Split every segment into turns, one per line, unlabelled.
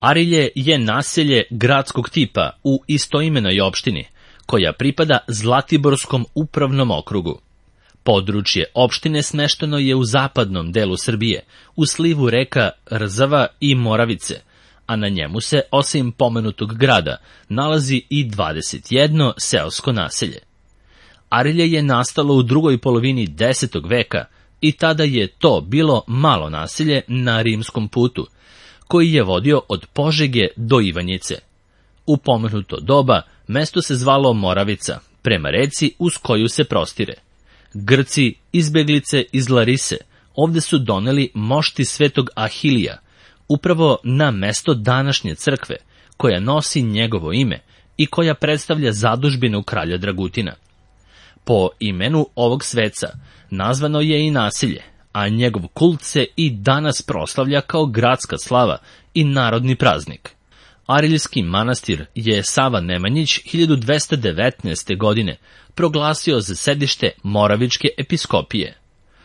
Arilje je naselje gradskog tipa u istoimenoj opštini, koja pripada Zlatiborskom upravnom okrugu. Područje opštine smešteno je u zapadnom delu Srbije, u slivu reka Rzava i Moravice, a na njemu se, osim pomenutog grada, nalazi i 21 seosko naselje. Arilje je nastalo u drugoj polovini 10. veka i tada je to bilo malo naselje na rimskom putu, koji je vodio od Požege do Ivanjice. U pomenuto doba mesto se zvalo Moravica, prema reci uz koju se prostire. Grci, izbeglice iz Larise, ovde su doneli mošti svetog Ahilija, upravo na mesto današnje crkve, koja nosi njegovo ime i koja predstavlja zadužbinu kralja Dragutina. Po imenu ovog sveca nazvano je i naselje, a njegov kult se i danas proslavlja kao gradska slava i narodni praznik. Ariljski manastir je Sava Nemanjić 1219. godine proglasio za sedište Moravičke episkopije.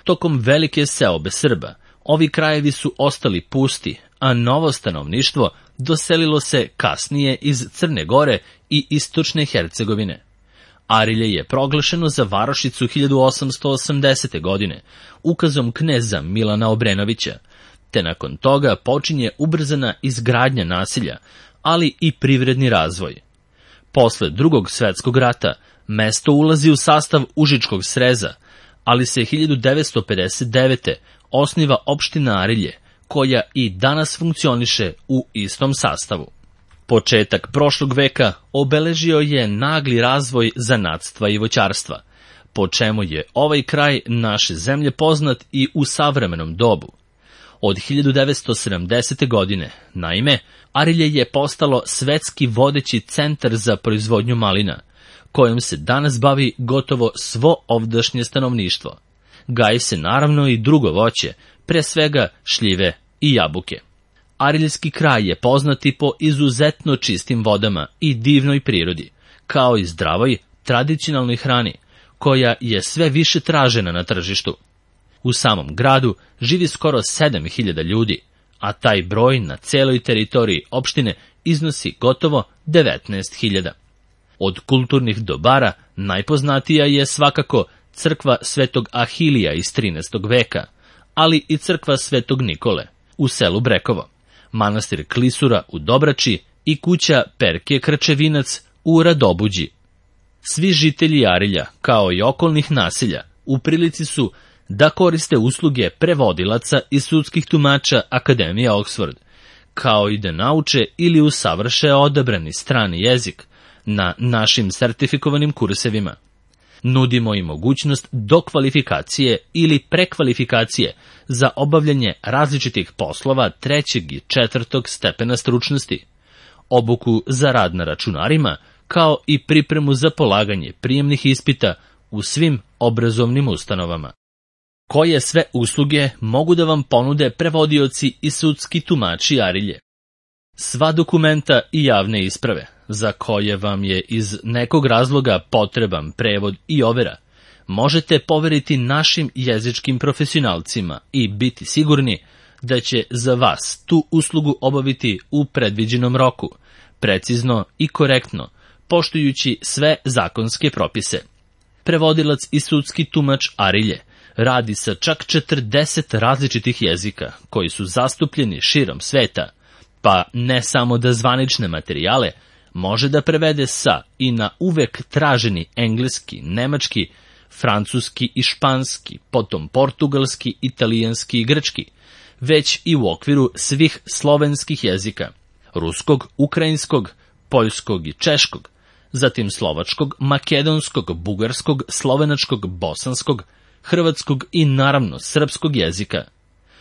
Tokom velike seobe Srba, ovi krajevi su ostali pusti, a novo stanovništvo doselilo se kasnije iz Crne Gore i istočne Hercegovine. Arilje je proglašeno za varošicu 1880. godine ukazom kneza Milana Obrenovića, te nakon toga počinje ubrzana izgradnja naselja, ali i privredni razvoj. Posle Drugog svetskog rata mesto ulazi u sastav Užičkog sreza, ali se 1959. osniva opština Arilje, koja i danas funkcioniše u istom sastavu. Početak prošlog veka obeležio je nagli razvoj zanatstva i voćarstva, po čemu je ovaj kraj naše zemlje poznat i u savremenom dobu. Od 1970. godine, naime, Arilje je postalo svetski vodeći centar za proizvodnju malina, kojom se danas bavi gotovo svo ovdašnje stanovništvo. Gaji se naravno i drugo voće, pre svega šljive i jabuke. Ariljski kraj je poznat i po izuzetno čistim vodama i divnoj prirodi, kao i zdravoj, tradicionalnoj hrani, koja je sve više tražena na tržištu. U samom gradu živi skoro 7000 ljudi, a taj broj na celoj teritoriji opštine iznosi gotovo 19.000. Od kulturnih dobara najpoznatija je svakako crkva Svetog Ahilija iz 13. veka, ali i crkva Svetog Nikole u selu Brekovo, manastir Klisura u Dobrači i kuća Perke Krčevinac u Radobuđi. Svi žitelji Arilja, kao i okolnih naselja, u prilici su da koriste usluge prevodilaca i sudskih tumača Akademije Oxford, kao i da nauče ili usavrše odabrani strani jezik na našim sertifikovanim kursevima. Nudimo i mogućnost dokvalifikacije ili prekvalifikacije za obavljanje različitih poslova 3. i 4. stepena stručnosti, obuku za rad na računarima, kao i pripremu za polaganje prijemnih ispita u svim obrazovnim ustanovama. Koje sve usluge mogu da vam ponude prevodioci i sudski tumači Arilje? Sva dokumenta i javne isprave, za koje vam je iz nekog razloga potreban prevod i overa, možete poveriti našim jezičkim profesionalcima i biti sigurni da će za vas tu uslugu obaviti u predviđenom roku, precizno i korektno, poštujući sve zakonske propise. Prevodilac i sudski tumač Arilje radi sa čak 40 različitih jezika koji su zastupljeni širom sveta, pa ne samo da zvanične materijale može da prevede sa i na uvek traženi engleski, nemački, francuski i španski, potom portugalski, italijanski i grčki, već i u okviru svih slovenskih jezika, ruskog, ukrajinskog, poljskog i češkog, zatim slovačkog, makedonskog, bugarskog, slovenačkog, bosanskog, hrvatskog i naravno srpskog jezika.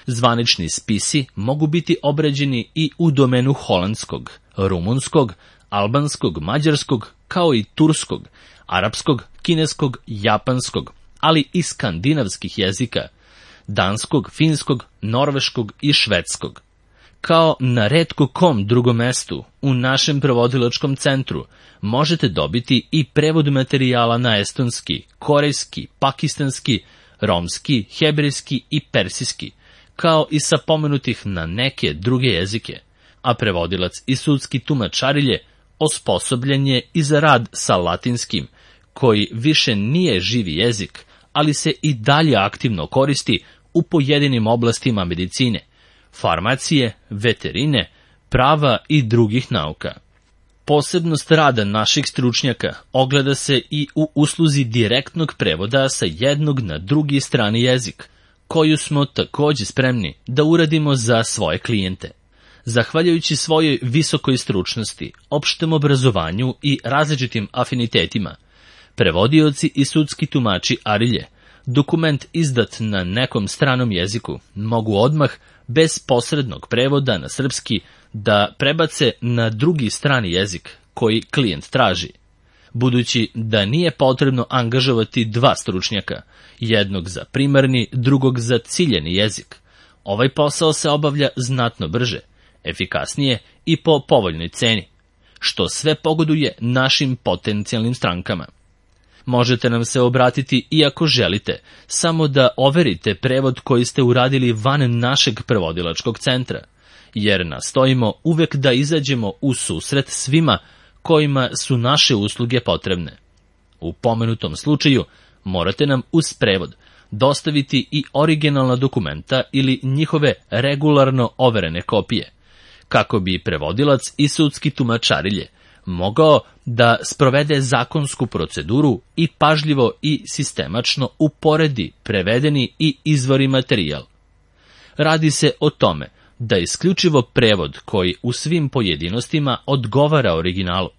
Zvanični spisi mogu biti obrađeni i u domenu holandskog, rumunskog, albanskog, mađarskog, kao i turskog, arapskog, kineskog, japanskog, ali i skandinavskih jezika, danskog, finskog, norveškog i švedskog. Kao na retko kom drugom mestu u našem prevodilačkom centru možete dobiti i prevod materijala na estonski, korejski, pakistanski, romski, hebrejski i persijski, kao i sa pomenutih na neke druge jezike, a prevodilac i sudski tumač Arilje osposobljen je i za rad sa latinskim, koji više nije živi jezik, ali se i dalje aktivno koristi u pojedinim oblastima medicine, farmacije, veterine, prava i drugih nauka. Posebnost rada naših stručnjaka ogleda se i u usluzi direktnog prevoda sa jednog na drugi strani jezik, koju smo takođe spremni da uradimo za svoje klijente. Zahvaljujući svojoj visokoj stručnosti, opštem obrazovanju i različitim afinitetima, prevodioci i sudski tumači Arilje, dokument izdat na nekom stranom jeziku, mogu odmah, bez posrednog prevoda na srpski, da prebace na drugi strani jezik koji klijent traži. Budući da nije potrebno angažovati dva stručnjaka, jednog za primarni, drugog za ciljeni jezik, ovaj posao se obavlja znatno brže, efikasnije i po povoljnoj ceni, što sve pogoduje našim potencijalnim strankama. Možete nam se obratiti i ako želite, samo da overite prevod koji ste uradili van našeg prevodilačkog centra, jer nastojimo uvek da izađemo u susret svima kojima su naše usluge potrebne. U pomenutom slučaju morate nam uz prevod dostaviti i originalna dokumenta ili njihove regularno overene kopije, kako bi prevodilac i sudski tumač Arilje mogao da sprovede zakonsku proceduru i pažljivo i sistemačno uporedi prevedeni i izvori materijal. Radi se o tome da isključivo prevod koji u svim pojedinostima odgovara originalu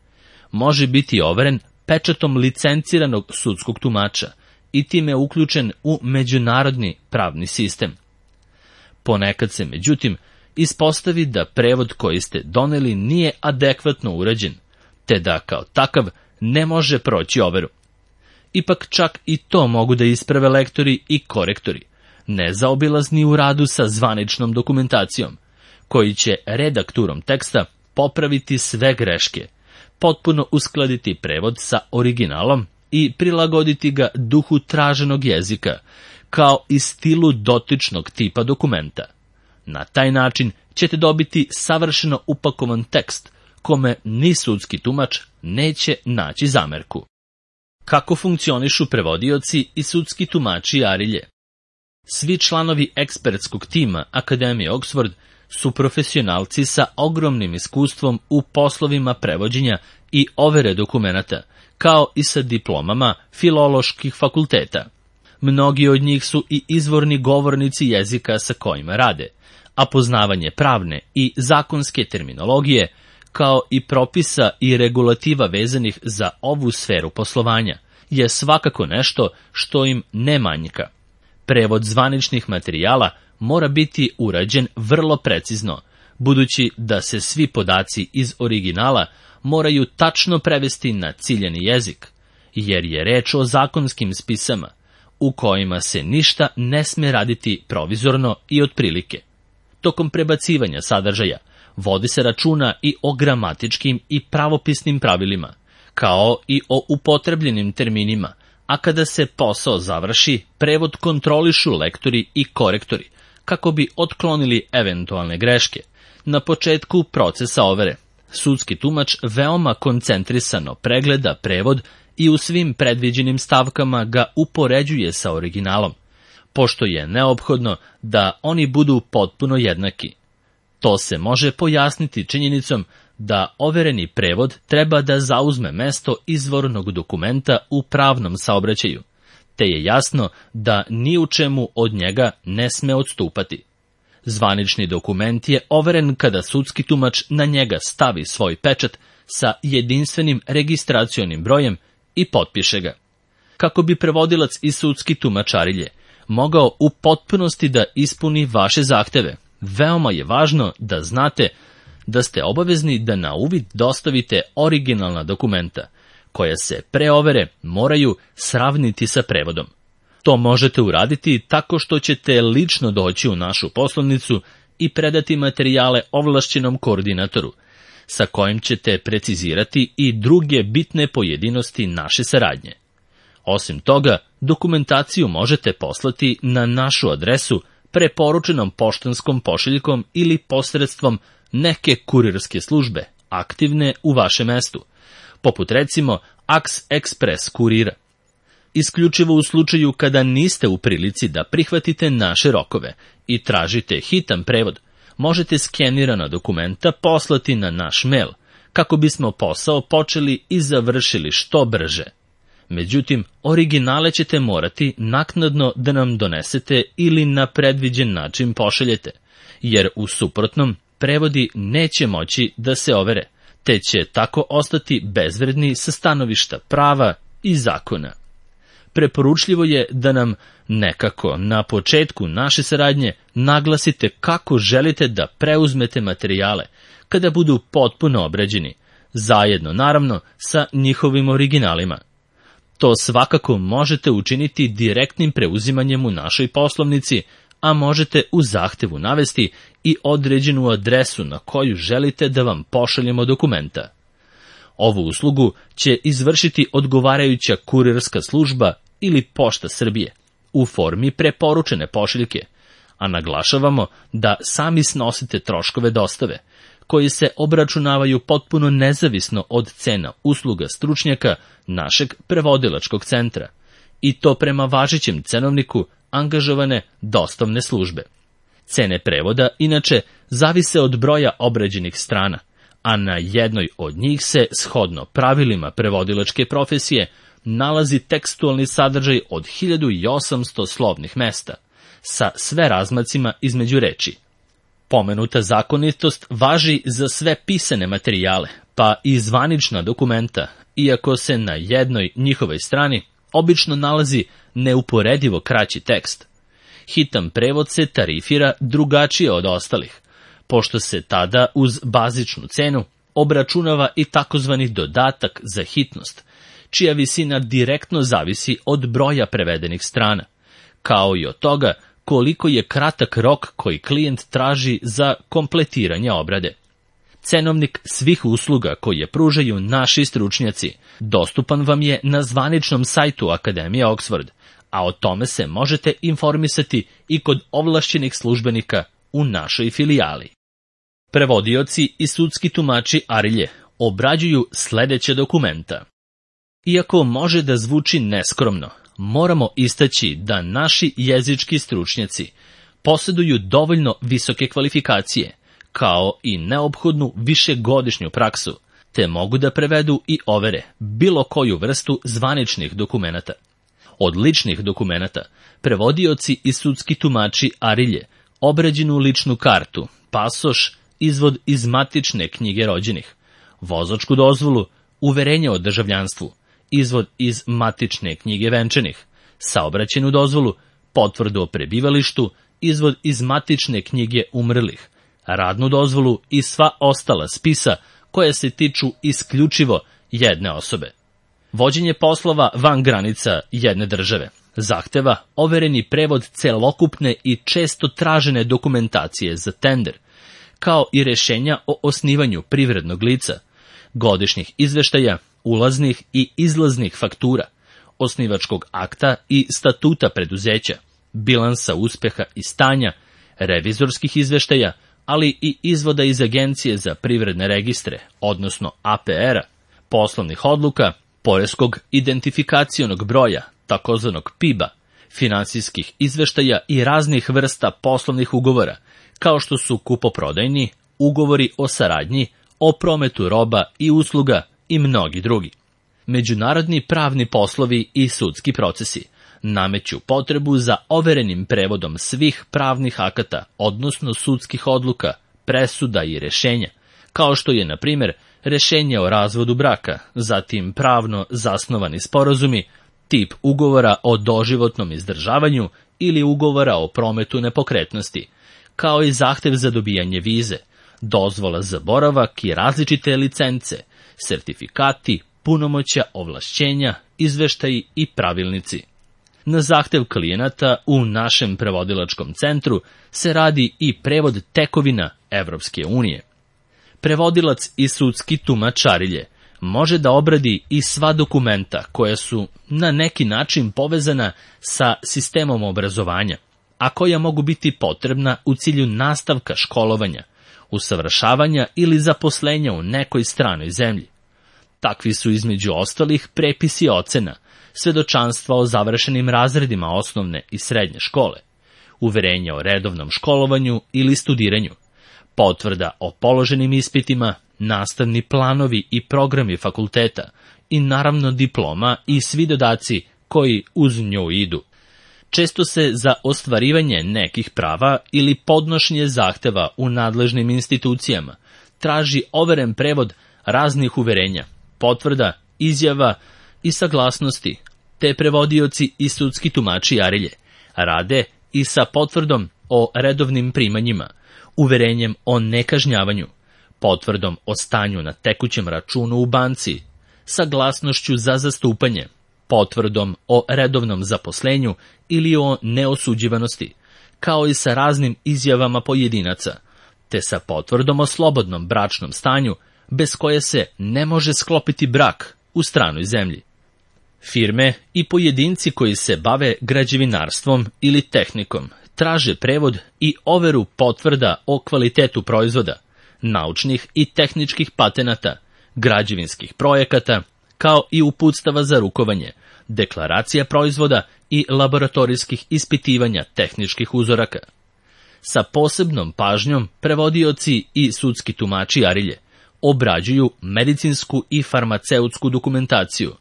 može biti overen pečatom licenciranog sudskog tumača i time uključen u međunarodni pravni sistem. Ponekad se, međutim, ispostavi da prevod koji ste doneli nije adekvatno urađen, te da kao takav ne može proći overu. Ipak čak i to mogu da isprave lektori i korektori, nezaobilazni u radu sa zvaničnom dokumentacijom, koji će redakturom teksta popraviti sve greške, potpuno uskladiti prevod sa originalom i prilagoditi ga duhu traženog jezika, kao i stilu dotičnog tipa dokumenta. Na taj način ćete dobiti savršeno upakovan tekst, kome ni sudski tumač neće naći zamerku. Kako funkcionišu prevodioci i sudski tumači Arilje? Svi članovi ekspertskog tima Akademije Oxford su profesionalci sa ogromnim iskustvom u poslovima prevođenja i overe dokumenata, kao i sa diplomama filoloških fakulteta. Mnogi od njih su i izvorni govornici jezika sa kojima rade, a poznavanje pravne i zakonske terminologije, kao i propisa i regulativa vezanih za ovu sferu poslovanja, je svakako nešto što im ne manjka. Prevod zvaničnih materijala mora biti urađen vrlo precizno, budući da se svi podaci iz originala moraju tačno prevesti na ciljani jezik, jer je reč o zakonskim spisama, u kojima se ništa ne sme raditi provizorno i otprilike. Tokom prebacivanja sadržaja vodi se računa i o gramatičkim i pravopisnim pravilima, kao i o upotrebljenim terminima, a kada se posao završi, prevod kontrolišu lektori i korektori, kako bi otklonili eventualne greške. Na početku procesa overe, sudski tumač veoma koncentrisano pregleda prevod i u svim predviđenim stavkama ga upoređuje sa originalom, pošto je neophodno da oni budu potpuno jednaki. To se može pojasniti činjenicom da overeni prevod treba da zauzme mesto izvornog dokumenta u pravnom saobraćaju, te je jasno da ni u čemu od njega ne sme odstupati. Zvanični dokument je overen kada sudski tumač na njega stavi svoj pečat sa jedinstvenim registracionim brojem i potpiše ga. Kako bi prevodilac i sudski tumač Arilje mogao u potpunosti da ispuni vaše zahteve, veoma je važno da znate da ste obavezni da na uvid dostavite originalna dokumenta, koja se pre overe moraju sravniti sa prevodom. To možete uraditi tako što ćete lično doći u našu poslovnicu i predati materijale ovlašćenom koordinatoru, sa kojim ćete precizirati i druge bitne pojedinosti naše saradnje. Osim toga, dokumentaciju možete poslati na našu adresu preporučenom poštanskom pošiljkom ili posredstvom neke kurirske službe aktivne u vašem mestu, poput recimo Aks Express kurira. Isključivo u slučaju kada niste u prilici da prihvatite naše rokove i tražite hitan prevod, možete skenirana dokumenta poslati na naš mail, kako bismo posao počeli i završili što brže. Međutim, originale ćete morati naknadno da nam donesete ili na predviđen način pošaljete, jer u suprotnom prevodi neće moći da se overe, te će tako ostati bezvredni sa stanovišta prava i zakona. Preporučljivo je da nam nekako na početku naše saradnje naglasite kako želite da preuzmete materijale kada budu potpuno obrađeni, zajedno naravno sa njihovim originalima. To svakako možete učiniti direktnim preuzimanjem u našoj poslovnici, a možete u zahtevu navesti i određenu adresu na koju želite da vam pošaljemo dokumenta. Ovu uslugu će izvršiti odgovarajuća kurirska služba ili Pošta Srbije u formi preporučene pošiljke, a naglašavamo da sami snosite troškove dostave, koji se obračunavaju potpuno nezavisno od cena usluga stručnjaka našeg prevodilačkog centra, i to prema važećem cenovniku angažovane dostavne službe. Cene prevoda, inače, zavise od broja obrađenih strana, a na jednoj od njih se, shodno pravilima prevodilačke profesije, nalazi tekstualni sadržaj od 1800 slovnih mesta, sa sve razmacima između reči. Pomenuta zakonitost važi za sve pisane materijale, pa i zvanična dokumenta, iako se na jednoj njihovoj strani obično nalazi neuporedivo kraći tekst. Hitan prevod se tarifira drugačije od ostalih, pošto se tada uz bazičnu cenu obračunava i takozvani dodatak za hitnost, čija visina direktno zavisi od broja prevedenih strana, kao i od toga koliko je kratak rok koji klijent traži za kompletiranje obrade. Cenovnik svih usluga koje pružaju naši stručnjaci dostupan vam je na zvaničnom sajtu Akademije Oxford, a o tome se možete informisati i kod ovlašćenih službenika u našoj filijali. Prevodioci i sudski tumači Arilje obrađuju sledeće dokumenta. Iako može da zvuči neskromno, moramo istaći da naši jezički stručnjaci posjeduju dovoljno visoke kvalifikacije, kao i neophodnu višegodišnju praksu, te mogu da prevedu i overe bilo koju vrstu zvaničnih dokumenata. Od ličnih dokumenata, prevodioci i sudski tumači Arilje obrađenu ličnu kartu, pasoš, izvod iz matične knjige rođenih, vozačku dozvolu, uverenje o državljanstvu, izvod iz matične knjige venčanih, saobraćajnu dozvolu, potvrdu o prebivalištu, izvod iz matične knjige umrlih, radnu dozvolu i sva ostala spisa koja se tiču isključivo jedne osobe. Vođenje poslova van granica jedne države zahteva overeni prevod celokupne i često tražene dokumentacije za tender, kao i rešenja o osnivanju privrednog lica, godišnjih izveštaja, ulaznih i izlaznih faktura, osnivačkog akta i statuta preduzeća, bilansa uspeha i stanja, revizorskih izveštaja, ali i izvoda iz Agencije za privredne registre, odnosno APR-a, poslovnih odluka, poreskog identifikacionog broja, takozvanog PIB-a, finansijskih izveštaja i raznih vrsta poslovnih ugovora, kao što su kupoprodajni, ugovori o saradnji, o prometu roba i usluga i mnogi drugi. Međunarodni pravni poslovi i sudski procesi nameću potrebu za overenim prevodom svih pravnih akata, odnosno sudskih odluka, presuda i rešenja, kao što je, na primjer, rešenje o razvodu braka, zatim pravno zasnovani sporazumi, tip ugovora o doživotnom izdržavanju ili ugovora o prometu nepokretnosti, kao i zahtev za dobijanje vize, dozvola za boravak i različite licence, sertifikati, punomoćja, ovlašćenja, izveštaji i pravilnici. Na zahtev klijenata u našem prevodilačkom centru se radi i prevod tekovina Evropske unije. Prevodilac i sudski tumač Arilje može da obradi i sva dokumenta koja su na neki način povezana sa sistemom obrazovanja, a koja mogu biti potrebna u cilju nastavka školovanja, usavršavanja ili zaposlenja u nekoj stranoj zemlji. Takvi su između ostalih prepisi ocena, svedočanstva o završenim razredima osnovne i srednje škole, uverenja o redovnom školovanju ili studiranju, potvrda o položenim ispitima, nastavni planovi i programi fakulteta i naravno diploma i svi dodaci koji uz nju idu. Često se za ostvarivanje nekih prava ili podnošenje zahteva u nadležnim institucijama traži overen prevod raznih uverenja, potvrda, izjava i saglasnosti, te prevodioci i sudski tumači arilje rade i sa potvrdom o redovnim primanjima, uverenjem o nekažnjavanju, potvrdom o stanju na tekućem računu u banci, saglasnošću za zastupanje, potvrdom o redovnom zaposlenju ili o neosuđivanosti, kao i sa raznim izjavama pojedinaca, te sa potvrdom o slobodnom bračnom stanju, bez koje se ne može sklopiti brak u stranoj zemlji. Firme i pojedinci koji se bave građevinarstvom ili tehnikom traže prevod i overu potvrda o kvalitetu proizvoda, naučnih i tehničkih patenata, građevinskih projekata, kao i uputstava za rukovanje, deklaracija proizvoda i laboratorijskih ispitivanja tehničkih uzoraka. Sa posebnom pažnjom prevodioci i sudski tumači arilje obrađuju medicinsku i farmaceutsku dokumentaciju,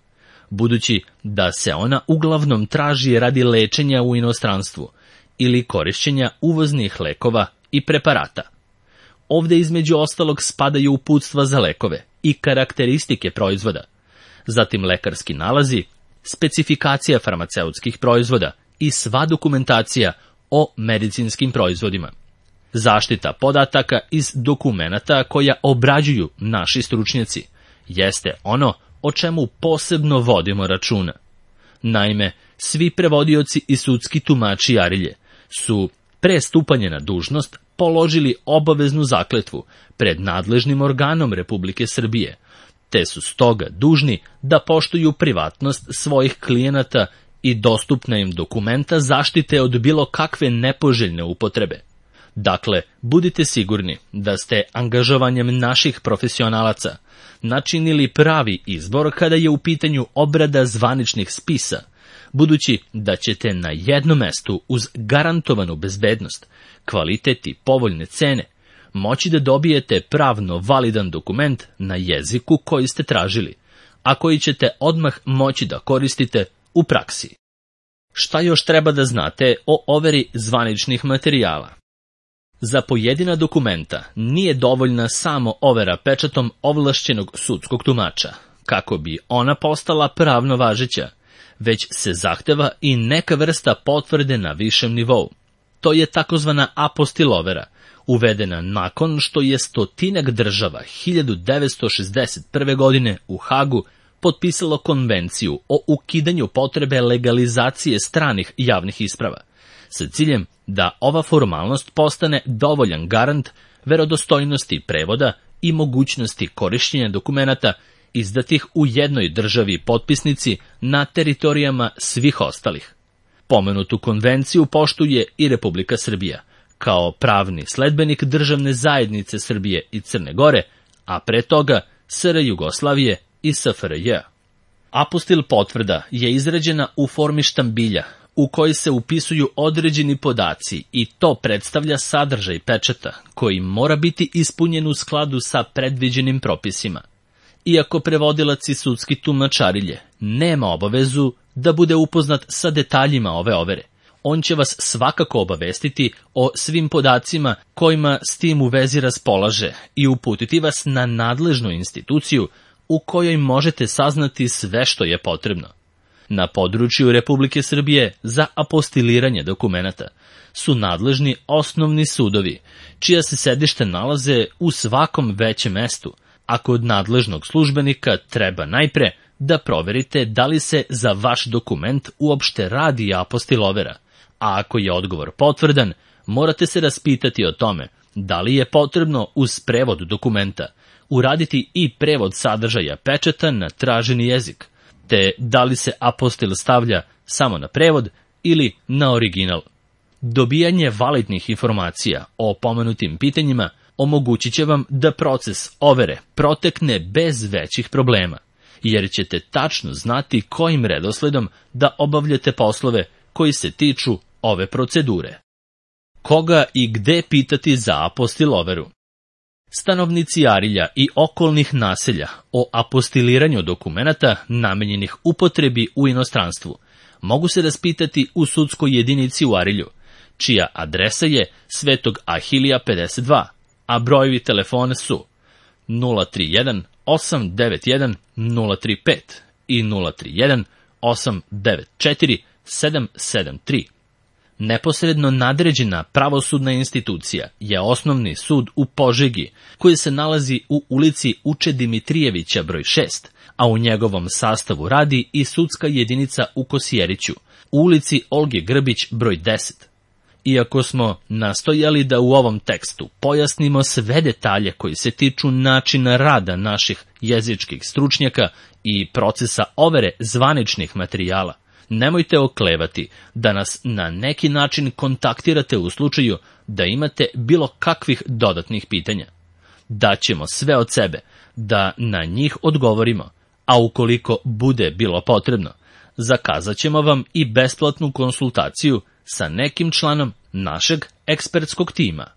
budući da se ona uglavnom traži radi lečenja u inostranstvu ili korišćenja uvoznih lekova i preparata. Ovde između ostalog spadaju uputstva za lekove i karakteristike proizvoda, zatim lekarski nalazi, specifikacija farmaceutskih proizvoda i sva dokumentacija o medicinskim proizvodima. Zaštita podataka iz dokumenata koja obrađuju naši stručnjaci jeste ono o čemu posebno vodimo računa. Naime, svi prevodioci i sudski tumači arilje su pre stupanja na dužnost položili obaveznu zakletvu pred nadležnim organom Republike Srbije, te su stoga dužni da poštuju privatnost svojih klijenata i dostupna im dokumenta zaštite od bilo kakve nepoželjne upotrebe. Dakle, budite sigurni da ste angažovanjem naših profesionalaca načinili pravi izbor kada je u pitanju obrada zvaničnih spisa, budući da ćete na jednom mestu uz garantovanu bezbednost, kvalitet i povoljne cene moći da dobijete pravno validan dokument na jeziku koji ste tražili, a koji ćete odmah moći da koristite u praksi. Šta još treba da znate o overi zvaničnih materijala? Za pojedina dokumenta nije dovoljna samo overa pečatom ovlašćenog sudskog tumača, kako bi ona postala pravno važeća, već se zahteva i neka vrsta potvrde na višem nivou. To je takozvana apostilovera, uvedena nakon što je 100 država 1961. godine u Hagu potpisalo konvenciju o ukidanju potrebe legalizacije stranih javnih isprava, sa ciljem da ova formalnost postane dovoljan garant verodostojnosti prevoda i mogućnosti korišćenja dokumenata izdatih u jednoj državi potpisnici na teritorijama svih ostalih. Pomenutu konvenciju poštuje i Republika Srbija, kao pravni sledbenik državne zajednice Srbije i Crne Gore, a pre toga SR Jugoslavije i SFRJ. Apostil potvrda je izrađena u formi štambilja, u kojoj se upisuju određeni podaci i to predstavlja sadržaj pečata, koji mora biti ispunjen u skladu sa predviđenim propisima. Iako prevodilac i sudski tumač arilje nema obavezu da bude upoznat sa detaljima ove overe, on će vas svakako obavestiti o svim podacima kojima s tim u vezi raspolaže i uputiti vas na nadležnu instituciju u kojoj možete saznati sve što je potrebno. Na području Republike Srbije za apostiliranje dokumenata su nadležni osnovni sudovi, čija se sedišta nalaze u svakom većem mestu, a kod nadležnog službenika treba najpre da proverite da li se za vaš dokument uopšte radi apostilovera, a ako je odgovor potvrdan, morate se raspitati o tome da li je potrebno uz prevod dokumenta uraditi i prevod sadržaja pečata na traženi jezik, te da li se apostil stavlja samo na prevod ili na original. Dobijanje validnih informacija o pomenutim pitanjima omogućit će vam da proces overe protekne bez većih problema, jer ćete tačno znati kojim redosledom da obavljate poslove koji se tiču ove procedure. Koga i gde pitati za apostil overu? Stanovnici Arilja i okolnih naselja o apostiliranju dokumenata namenjenih upotrebi u inostranstvu mogu se raspitati u sudskoj jedinici u Arilju, čija adresa je Svetog Ahilija 52, a brojevi telefona su 031 891 035 i 031 894 773. Neposredno nadređena pravosudna institucija je Osnovni sud u Požegi, koji se nalazi u ulici Uče Dimitrijevića broj 6, a u njegovom sastavu radi i sudska jedinica u Kosjeriću, u ulici Olge Grbić broj 10. Iako smo nastojali da u ovom tekstu pojasnimo sve detalje koji se tiču načina rada naših jezičkih stručnjaka i procesa overe zvaničnih materijala, nemojte oklevati da nas na neki način kontaktirate u slučaju da imate bilo kakvih dodatnih pitanja. Daćemo sve od sebe da na njih odgovorimo, a ukoliko bude bilo potrebno, zakazat ćemo vam i besplatnu konsultaciju sa nekim članom našeg ekspertskog tima.